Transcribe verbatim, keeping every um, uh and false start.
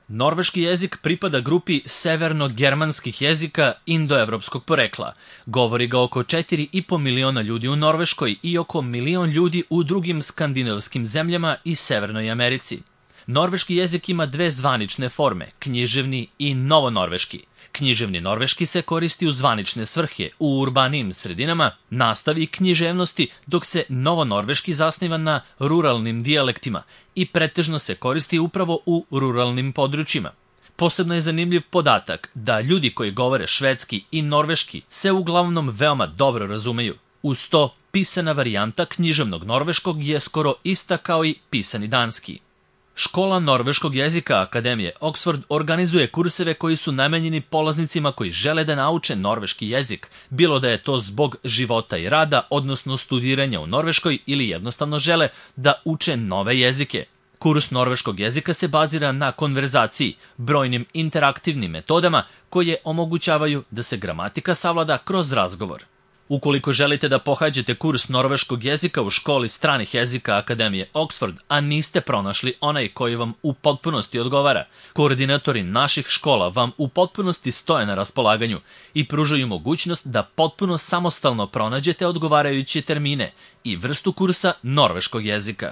Norveški jezik pripada grupi severno-germanskih jezika indoevropskog porekla. Govori ga oko četiri i po miliona ljudi u Norveškoj i oko milion ljudi u drugim skandinavskim zemljama i Severnoj Americi. Norveški jezik ima dve zvanične forme, književni i novonorveški. Književni norveški se koristi u zvanične svrhe u urbanijim sredinama, nastavi i književnosti, dok se novonorveški zasniva na ruralnim dijalektima i pretežno se koristi upravo u ruralnim područjima. Posebno je zanimljiv podatak da ljudi koji govore švedski i norveški se uglavnom veoma dobro razumeju. Uz to, pisana varijanta književnog norveškog je skoro ista kao i pisani danski. Škola norveškog jezika Akademije Oxford organizuje kurseve koji su namenjeni polaznicima koji žele da nauče norveški jezik, bilo da je to zbog života i rada, odnosno studiranja u Norveškoj ili jednostavno žele da uče nove jezike. Kurs norveškog jezika se bazira na konverzaciji, brojnim interaktivnim metodama koje omogućavaju da se gramatika savlada kroz razgovor. Ukoliko želite da pohađate kurs norveškog jezika u školi stranih jezika Akademije Oxford, a niste pronašli onaj koji vam u potpunosti odgovara, koordinatori naših škola vam u potpunosti stoje na raspolaganju i pružaju mogućnost da potpuno samostalno pronađete odgovarajuće termine i vrstu kursa norveškog jezika.